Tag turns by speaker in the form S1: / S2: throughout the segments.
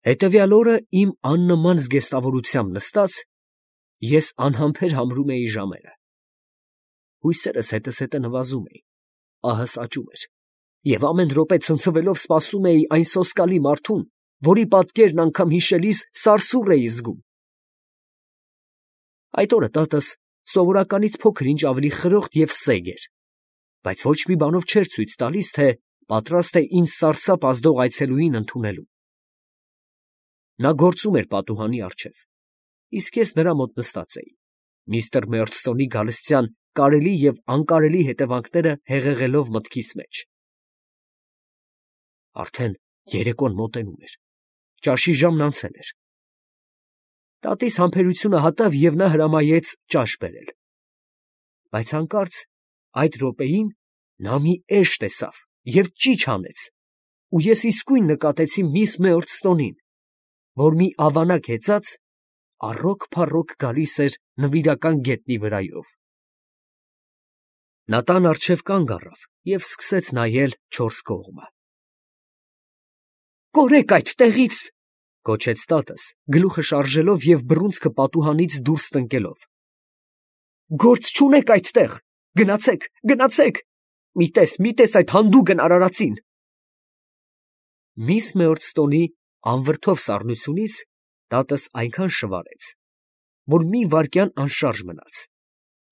S1: Հետևյալ օրը իմ աննման զգեստավորությամբ նստած, ես անհամբեր համրում էի ժամերը. հույսերս հետզհետե նվազում էին, ահս աճում էր, և ամեն րոպե ցնցվելով սպասում էի այն սոսկալի մարդուն, որի պատկերն անգամ հիշելիս սարսուռ էի զգում։ Այդ օրը տատս սովորականից փոքր-ինչ ավելի խրոխտ և սեգ էր, բայց ոչ մի բանով չէր ցույց տալիս, թե պատրաստ է ինձ սարսափ ազդող այցելուին ընդունելու։ Նա գործում էր պատուհանի առջև, իսկ ես նրա մոտ նստած էի, միստր Մերդստոնի գալստյան կարելի և անկարելի հետևանքները հեղեղելով մտքիս մեջ։ Արդեն երեկոն մոտենում էր, ճաշի ժամն անցել էր։ Տատիս համբերությունը հատավ և նա հրամայեց ճաշ բերել, բայց հանկարծ այդ րոպեին նա մի էշ տեսավ և ճիչ հանեց, ու ես իսկույն նկատեցի միս Մերդստոնին, որ մի ավանակ հեծած առոք-փառոք գալիս էր նվիրական գետնի վրայով։ Նա տան առջև կանգ առավ և սկսեց նայել չորս կողմը։ ֊ Կորեք այդտեղից, ֊ գոչեց տատս, գլուխը շարժելով և բռունցքը պատուհանից դուրս տնկելով. ֊ Գործ չունեք այդտեղ. գնացեք, գնացեք. մի տես այդ հանդուգն արարածին։ Միս Մերդստոնի անվրդով սառնությունից տատս այնքան շվարեց, որ մի վայրկյան անշարժ մնաց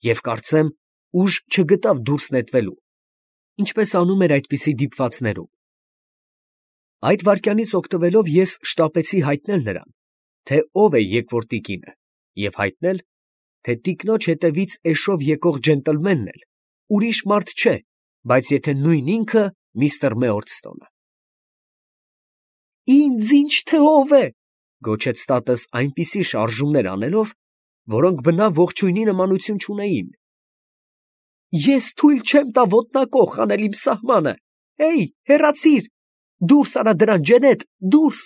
S1: և, կարծեմ, ուժ չգտավ դուրս նետվելու, ինչպես անում էր այդպիսի դիպվածներում։ Այդ վայրկյանից օգտվելով ես շտապեցի հայտնել նրան, թե ով է եկվոր տիկինը, և հայտնել, թե տիկնոջ հետևից էշով եկող ջենտլմենն էլ ուրիշ մարդ չէ, բայց եթե նույն ինքը միստր Մերդստոնը։ ֊ Ինձ ինչ թե ով է, ֊ գոչեց տատս այնպիսի շարժումներ անելով, որոնք բնավ ողջույնի նմանություն չունեին։ ֊ Ես թույլ չեմ տա ոտնակոխ անել իմ սահմանը. հեյ, հեռացիր, դուրս արա դրան, ջենետ, դուրս…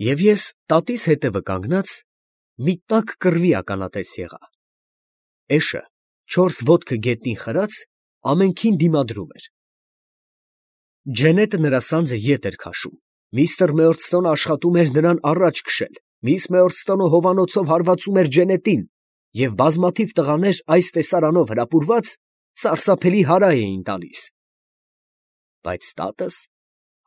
S1: Եվ ես տատիս հետևը կանգնած մի տաք կռվի ականատես եղա. էշը, չորս ոտքը գետնին խրած, ամենքին դիմադրում էր։ Ջենետը նրա սանձը ետ էր քաշում, միստր Մերդստոնը աշխատում էր նրան առաջ քշել, միս Մերդստոնը հովանոցով հարվածում էր ջենետին, և բազմաթիվ տղաներ այս տեսարանով հրապուրված սարսափելի հարա էին տալիս։ Բայց տատս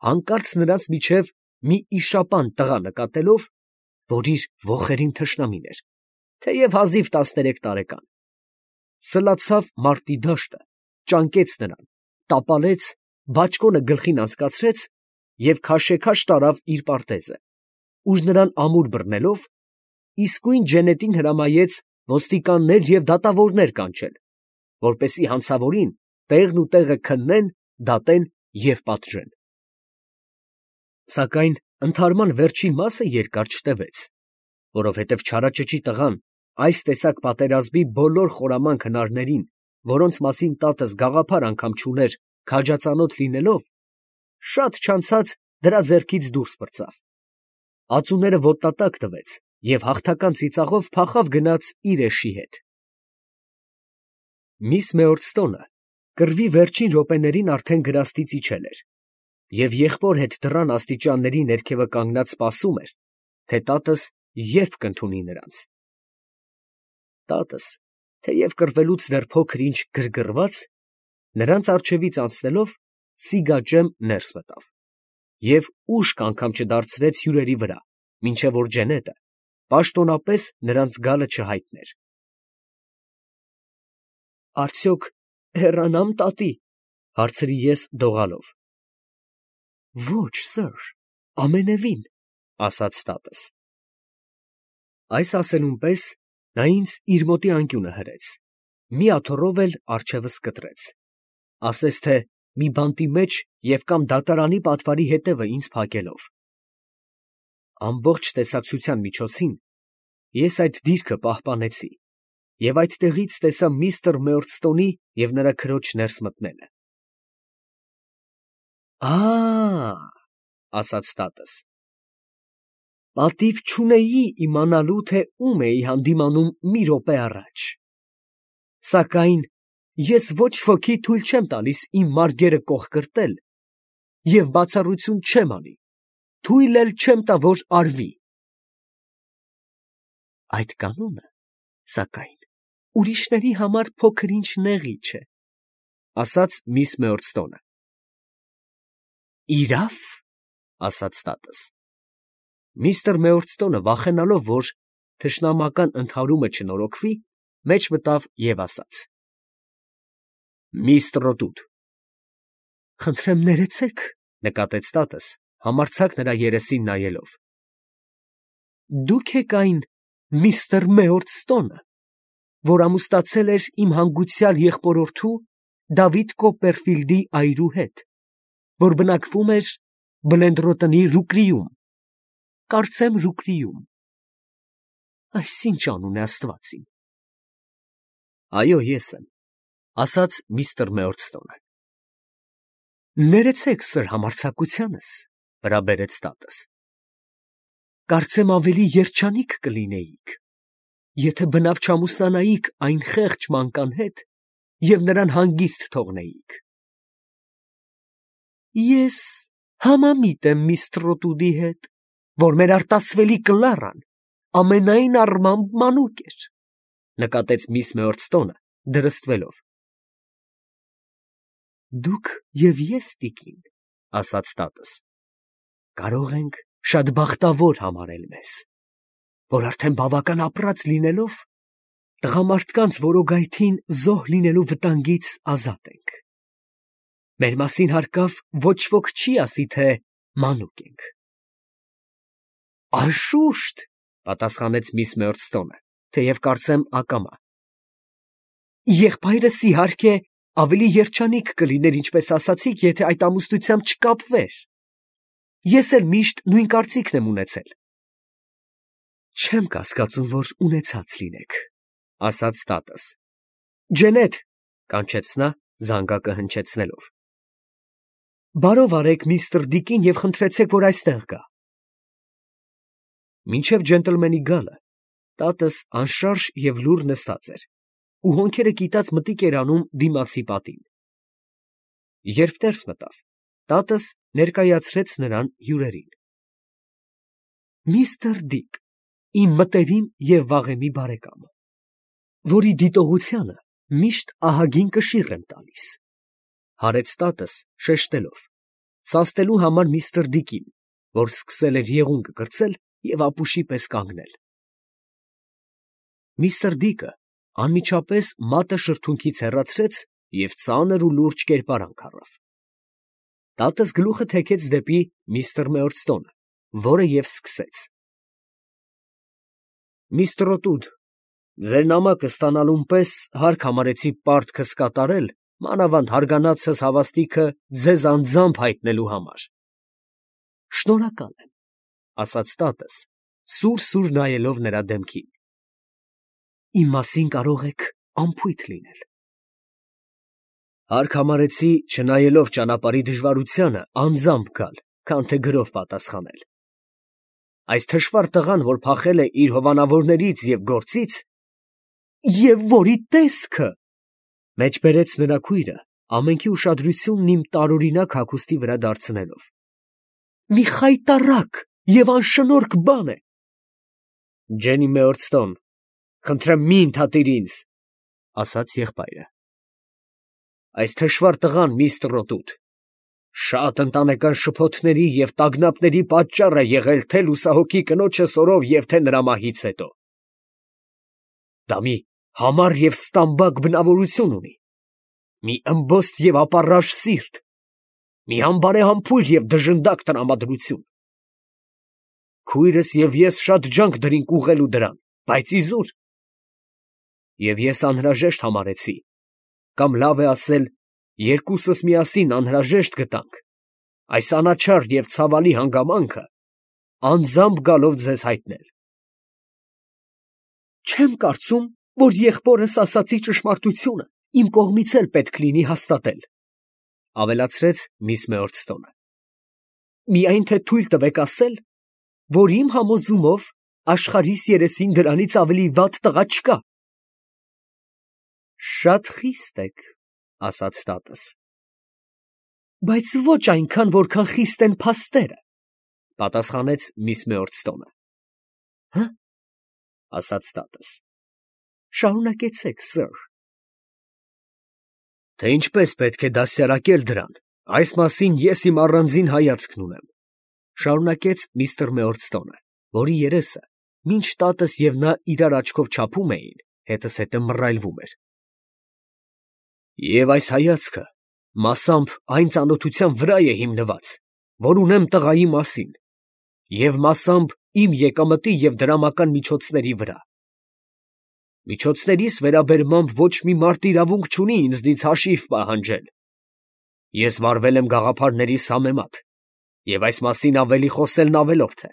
S1: հանկարծ նրանց միջև մի իշապան տղա նկատելով, որ իր ոխերիմ թշնամին էր, թեև հազիվ 13 տարեկան, սլացավ մարտի դաշտը, ճանկեց նրան, տապալեց, բաճկոնը գլխին անցկացրեց և քաշեքաշ տարավ իր պարտեզը, ուր նրան ամուր բռնելով, իսկույն ջենետին հրամայեց ոստիկաններ և դատավորներ կանչել, որպեսզի հանցավորին տեղն ու տեղը քննեն, դատեն և պատժեն։ Սակայն ընդհարման վերջին մասը երկար չտևեց, որովհետև չարաճճի տղան այս տեսակ պատերազմի բոլոր խորամանկ հնարներին, որոնց մասին տատս գաղափար անգամ չուներ քաջածանոթ լինելով, շատ չանցած դրա ձեռքից դուրս պրծավ, ածուները ոտնատակ տվեց և հաղթական ծիծաղով փախավ գնաց իր էշի հետ։ Միս Մերդստոնը կռվի վերջին րոպեներին արդեն գրաստից իջել էր և եղբոր հետ դռան աստիճանների ներքևը կանգնած սպասում էր, թե տատս երբ կընդունի նրանց։ Տատս, թեև կռվելուց դեռ փոքր֊ինչ գրգռված, նրանց առջևից անցնելով սիգաճեմ ներս մտավ և ուշք անգամ չդարձրեց հյուրերի վրա, մինչև որ ջենետը պաշտոնապես նրանց գալը չհայտներ։ ֊ Արդյոք հեռանա՞մ, տատի, ֊ հարցրի ես դողալով։ ֊ Ոչ, սըր, ամենևին, ֊ ասաց տատս։ Այս ասելուն պես նա ինձ իր մոտի անկյունը հրեց, մի աթոռով էլ առջևս կտրեց, ասես թե մի բանտի մեջ և կամ դատարանի պատվարի հետևը ինձ փակելով։ Ամբողջ տեսակցության միջոցին ես այդ դիրքը պահպանեցի և այդտեղից տեսա միստր Մերդստոնի և նրա քրոջ ներս մտնելը։ ֊ ասաց տատս, պատիվ չունեի իմանալու, թե ում էի հանդիմանում մի րոպե առաջ, սակայն ես ոչ ոքի թույլ չեմ տալիս իմ մարգերը կոխկրտել և բացառություն չեմ անի, թույլ էլ չեմ տա, որ արվի։ Այդ կանոնը, սակայն, ուրիշների համար փոքր-ինչ նեղի չէ, ասաց միս Մեորստոնը։ Իրավ, ասաց տատս։ Միստր Մեորստոնը, վախենալով, որ թշնամական ընդհարումը չնորոգվի, մեջ մտավ և ասաց. Մի ստրոտուտ։ Խնդրեմ ներեցեք, նկատեց տատս, համարձակ նրա երեսին նայելով։ Դուք եք այն միստր Մեորստոնը, որ ամուսնացել էր իմ հանգուցյալ եղբորորդու Դավիթ Կոպպերֆիլդի այրու հետ, որ բնակվում էր Բլենդրոտնի Ռուկրիում, կարծեմ Ռուկրիում։ Այս ինչ անուն է Աստված իմ։ Այո, ես եմ, ասաց միստր Մեորստոնը։ Ներեցեք սր համարձակությանս, վրա բերեց տատս։ Կարծեմ ավելի երջանիկ կլինեիք, եթե բնավ չամուսնանայիք այն խեղճ մանկան հետ և նրան հանգիստ թողնեիք։ Ես համամիտ եմ միս Տրոտուդի հետ, որ մեր արտասվելի Կլարան ամենայն առմամբ մանուկ էր, նկատեց միս Մեորստոնը, դրստվելով։ Դուք և ես, տիկին, ասաց տատս, կարող ենք շատ բախտավոր համարել մեզ, որ արդեն բավական ապրած լինելով, տղամարդկանց որոգայթին զոհ լինելու վտանգից ազատ ենք։ Մեր մասին հարկավ ոչ ոք չի ասի, թե մանուկ ենք։ Անշուշտ, պատասխանեց միս Մեորստոնը, թեև կարծեմ ակամա։ Եղբայրս իհարկե ավելի երջանիկ կլիներ, ինչպես ասացիք, եթե այդ ամուսնությամբ չկապվեր։ Ես էլ միշտ նույն կարծիքն եմ ունեցել։ Չեմ կասկածում, որ ունեցած լինեք, ասաց տատս։ Ջենեթ, կանչեց նա, զանգակը հնչեցնելով։ Բարով արեք միստր Դիկին և խնդրեցեք, որ այստեղ գա։ Մինչև ջենտլմենի գալը, տատս անշարժ և լուռ նստած էր, ու հոնքերը կիտած մտիկ էր անում դիմացի պատին։ Երբ ներս մտավ, տատս ներկայացրեց նրան հյուրերին։ Միստր Դիկ, իմ մտերիմ և վաղեմի բարեկամը, որի դիտողությանը միշտ ահագին կշիռ եմ տալիս, հարեց տատս շեշտելով, սաստելու համար միստր Դիկին, որ սկսել էր եղունգը կրծել և ապուշի պես կանգնել։ Միստր Դիկը անմիջապես մատը շրթունքից հեռացրեց և ծանր ու լուրջ կերպարանք առավ։ Տատս գլուխը թեքեց դեպի միստր Մեորստոնը, որը և սկսեց. Միս Տրոտուդ, ձեր նամակը ստանալուն պես հարկ համարեցի պարտքս կատարել, մանավանդ հարգանածս հավաստիքը ձեզ անձամբ հայտնելու համար։ Շնորհակալ եմ, ասաց տատս, սուր նայելով նրա դեմքին։ Իմ մասին կարող եք անփույթ լինել։ Հարկ համարեցի, չնայելով ճանապարհի դժվարությանը, անձամբ գալ, քան թե գրով պատասխանել։ Այս թշվառ տղան, որ փախել է իր հովանավորներից և գործից, և որի տեսքը, մեջբերեց նրա քույրը, ամենքի ուշադրությունն իմ տարօրինակ հագուստի վրա դարձնելով, մի խայտառակ և անշնորհք բան է։ Ջենի Մեորստոն, խնդրեմ մի ընդհատիր ինձ, ասաց եղբայրը։ Այս թշվառ տղան, միս Տրոտուդ, շատ ընտանեկան շփոթների և տագնապների պատճառ է եղել թե լուսահոգի կնոջը սորով և թե նրա մահից հետո։ Դա մի համառ և ստամբակ բնավորություն ունի, մի ըմբոստ և ապառաժ սիրտ, մի անբարեհամբույր և դժնդակ տրամադրություն։ Քույրս և ես շատ ջանք դրինք ուղղելու դրան, բայց իզուր։ Եվ ես անհրաժեշտ համարեցի, կամ լավ է ասել, երկուսս միասին անհրաժեշտ գտանք այս անաչառ և ցավալի հանգամանքը անձամբ գալով ձեզ հայտնել։ Չեմ կարծում, որ եղբորս ասացի ճշմարտությունը իմ կողմից էլ պետք լինի հաստատել, ավելացրեց միս Մեորստոնը։ Միայն թե թույլ տվեք ասել, որ իմ համոզումով աշխարհիս երեսին դրանից ավելի վատ տղա չկա։ Շատ խիստ եք, ասաց տատս։ Բայց ոչ այնքան, որքան խիստ են փաստերը, Պատասխանեց միս Մեորտստոնը։ Հը՞, ասաց տատս։ Շարունակեցեք, սըր։ Թե ինչպես պետք է դաստիարակել դրան, այս մասին ես իմ առանձին հայացքն ունեմ, շարունակեց միստր Մեորտստոնը, որի երեսը, մինչ տատս և նա իրար աչքով չափում էին, հետզհետե մռայլվում էր։ Եվ այս հայացքը մասամբ այն ծանոթության վրա է հիմնված, որ ունեմ տղայի մասին, և մասամբ իմ եկամտի և դրամական միջոցների վրա։ Միջոցներիս վերաբերմամբ ոչ մի մարդ իրավունք չունի ինձնից հաշիվ պահանջել։ Ես վարվել եմ գաղափարներիս համեմատ, և այս մասին ավելի խոսելն ավելորդ է։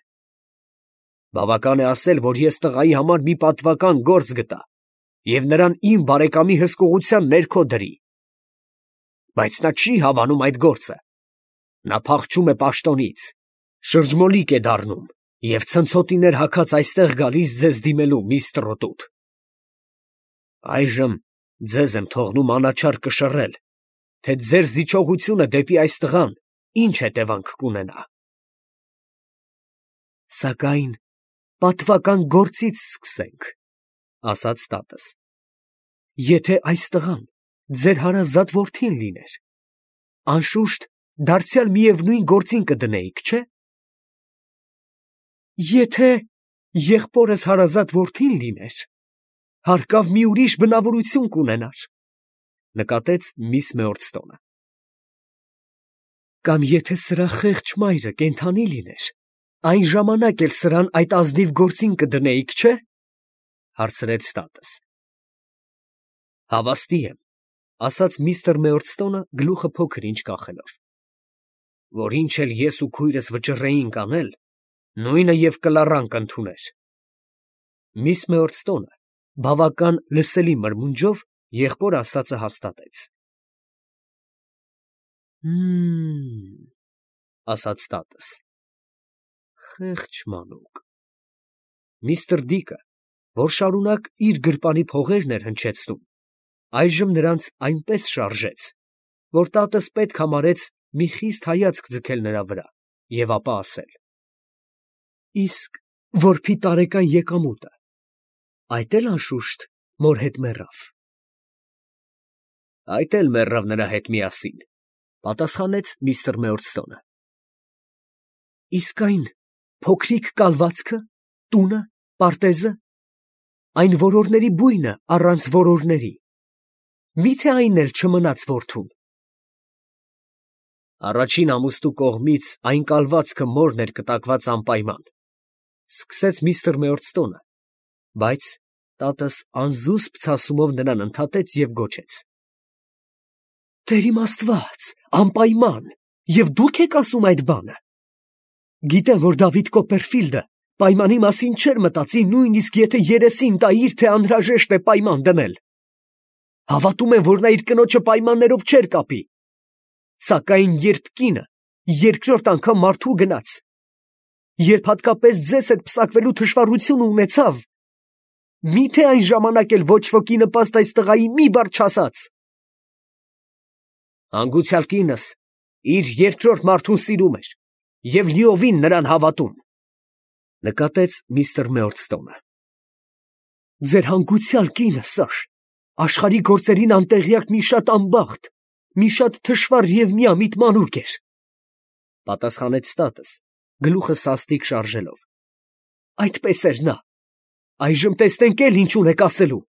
S1: Բավական է ասել, որ ես տղայի համար մի պատվական գործ գտա և նրան իմ բարեկամի հսկողության ներքո դրի։ Բայց նա չի հավանում այդ գործը։ Նա փախչում է պաշտոնից, շրջմոլիկ է դառնում և ցնցոտիներ հագած այստեղ գալիս ձեզ դիմելու, միստր Տրոտուտ։ Այժմ ձեզ եմ թողնում անաչառ կշռել, թե ձեր զիջողությունը դեպի այս տղան ինչ հետևանք կունենա։ Սակայն պատվական գործից սկսենք, ասաց տատս։ Եթե այս տղան ձեր հարազատ որդին լիներ, անշուշտ դարձյալ միևնույն գործին կդնեիք, չէ՞։ Եթե եղբորս հարազատ որդին լիներ, հարկավ մի ուրիշ բնավորություն կունենար, նկատեց միս Մեորտստոնը։ Կամ եթե սրա խեղճ մայրը կենդանի լիներ, այն ժամանակ էլ սրան այդ ազնիվ գործին կդնեիք, չէ՞, հարցրեց տատս։ Հավաստի եմ, ասաց միստր Մեորտստոնը գլուխը փոքր ինչ կախելով, որ ինչ էլ ես ու քույրս վճռեինք անել, նույնը և կլառան կընդուներ։ Միս Մեորտստոնը բավական լսելի մրմունջով եղբոր ասածը հաստատեց։ Ասաց տատս։ Խեղճ մանուկ։ Միստր Դիկը, որ շարունակ իր գրպանի փողերն էր հնչեցնում, այժմ նրանց այնպես շարժեց, որ տատս պետք համարեց մի խիստ հայացք ձգել նրա վրա և ապա ասել. Իսկ որբի տարեկան եկամուտը, այդ էլ անշուշտ մոր հետ մեռավ։ Այդ էլ մեռավ նրա հետ միասին, պատասխանեց միստր Մեորտստոնը։ Իսկ այն փոքրիկ կալվածքը, տունը, պարտեզը, այն որորների բույնը առանց որորների, մի՞թե այն էլ չմնաց որդուն։ Առաջին ամուսնու կողմից այն կալվածքը մորն էր կտակված անպայման, սկսեց միստր Մեորտստոնը, բայց տատս անզուսպ ցասումով նրան ընդհատեց և գոչեց. Տեր իմ Աստված, անպայման, և դուք եք ասում այդ բանը։ Գիտեմ, որ Դավիթ Կոպերֆիլդը պայմանի մասին չէր մտածի, նույնիսկ եթե երեսին տայիր, թե անհրաժեշտ է պայման դնել։ Հավատում եմ, որ նա իր կնոջը պայմաններով չէր կապի։ Սակայն երբ կինը երկրորդ անգամ մարդու գնաց, երբ հատկապես ձեզ հետ պսակվելու թշվառությունը ունեցավ, մի՞թե այն ժամանակ էլ ոչ ոքի նպաստ այս տղայի մի բառ չասաց։ Հանգուցյալ կինս իր երկրորդ մարդուն սիրում էր և լիովին նրան հավատում, նկատեց միստր Մեորտստոնը։ Ձեր հանգուցյալ կինը, սըր, աշխարհի գործերին անտեղյակ մի շատ անբախտ, մի շատ թշվառ և միամիտ մանուկ էր, պատասխանեց տատս, գլուխը սաստիկ շարժելով։ Այդպես էր նա։ Այժմ տեսնենք էլ ինչ ունեք ասելու։